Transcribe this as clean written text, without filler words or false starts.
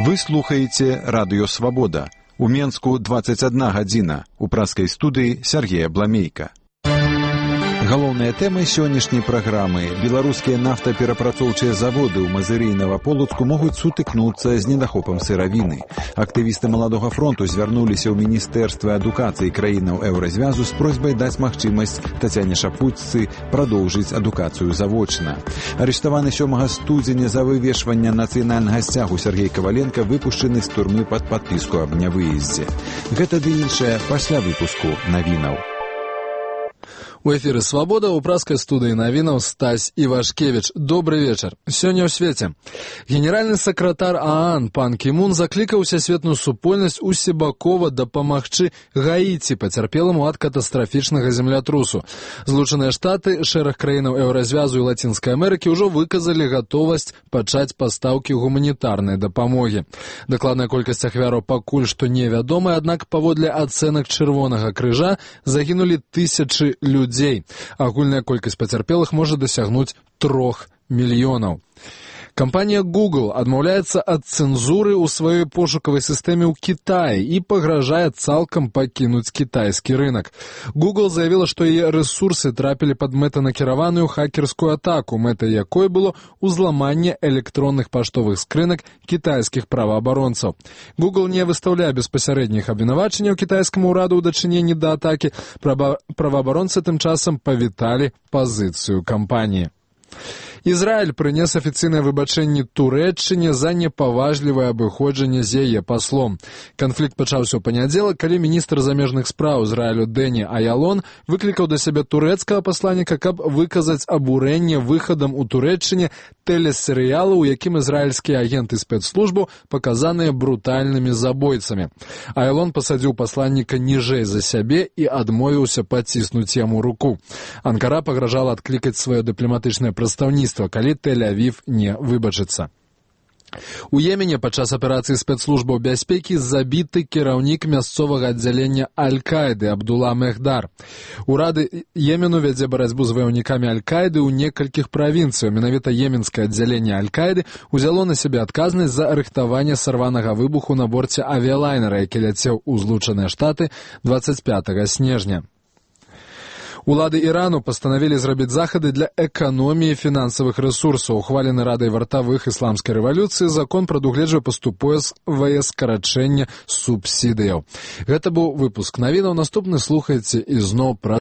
Вы слухаеце радыё «Свабода». У Менску 21 гадзіна. У праскай студыі Сергея Бламейка. Галоўная тэма сённяшняй праграмы. Беларускія нафтаперапрацоўчыя заводы ў Мазыры і Наваполацку могуць сутыкнуцца з недахопам сыравіны. Актывісты Маладога фронту звярнуліся ў Міністэрства адукацыі краінаў Еўразвязу з просьбай даць магчымасць Тацяне Шапуццы прадоўжыць адукацыю завочна. Арыштаваны 7 студзеня за вывешванне нацыянальнага сцягу Сергей Каваленка выпушчаны з турмы пад падпіску аб нявыездзе. Гэта ды іншае пасля выпуску навінаў. У эфіры «Свабода» у праскай студыі навінаў Стась Івашкевіч. Добры вечар. Сёння ў свеце. Генеральны сакратар ААН пан Кімун заклікаў сусветную супольнасць усебакова дапамагчы Гаіці, пацярпеламу ад катастрафічнага землятрусу. Злучаныя Штаты, шэраг краінаў Еўразвязу і Лацінскай Амерыкі ўжо выказалі гатовасць пачаць пастаўкі гуманітарнай дапамогі. Дакладная колькасць ахвяраў пакуль што невядомая, аднак паводле ацэнак Чырвонага крыжа загінулі тысячы людзей. Агульная колькасць пацярпелых можа дасягнуць 3 мільёнаў. Кампанія Google адмаўляецца ад цэнзуры ў сваёй пошукавай сістэме ў Кітаі і пагражае цалкам пакінуць кітайскі рынак. Google заявіла, што яе рэсурсы трапілі пад мэтанакіраваную хакерскую атаку, мэтай якой было ўзламанне электронных паштовых скрынак кітайскіх праваабаронцаў. Google не выстаўляе беспасярэдніх абвінавачанняў кітайскаму ўраду ў дачыненні да атакі. Праваабаронцы тым часам павіталі пазіцыю кампаніі. Ізраіль прынес афіцыйнае выбачэнне Турэччыне за непаважлівае абыходжанне з яе паслом. Канфлікт пачаўся ў панядзелак, калі міністр замежных спраў Ізраілю Дэні Аялон выклікаў да сябе турэцкага пасланніка, каб выказаць абурэнне выхадам у Турэччыне тэлесерыялу, у якім ізраільскія агенты спецслужбаў паказаныя брутальнымі забойцамі. Аялон пасадзіў пасланніка ніжэй за сябе і адмовіўся паціснуць яму руку. Анкара пагражала адклікаць сваё дыпламатычнае прадстаўніцтва, калі Тель-Авів не выбачыцца. У Йемене падчас аперацыі спецслужбаў бяспекі забіты кіраўнік мясцовага аддзялення Аль-Каіды Абдула Мехдар. Урады Йемену вядзе барацьбу з ваяўнікамі Аль-Каіды ў некалькіх правінцыях. Менавіта йеменскае аддзяленне Аль-Каіды ўзяло на сябе адказнасць за рыхтаванне сарванага выбуху на борце авіялайнера, які ляцеў у Злучаныя Штаты 25 снежня. Улады Ірану пастанавілі зрабіць захады для эканоміі фінансавых рэсурсаў. Ухвалены Радай вартавых ісламскай рэвалюцыі закон прадугледжвае паступовае скарачэнне субсідыяў. Гэта быў выпуск навінаў. Наступны слухайце ізноў пра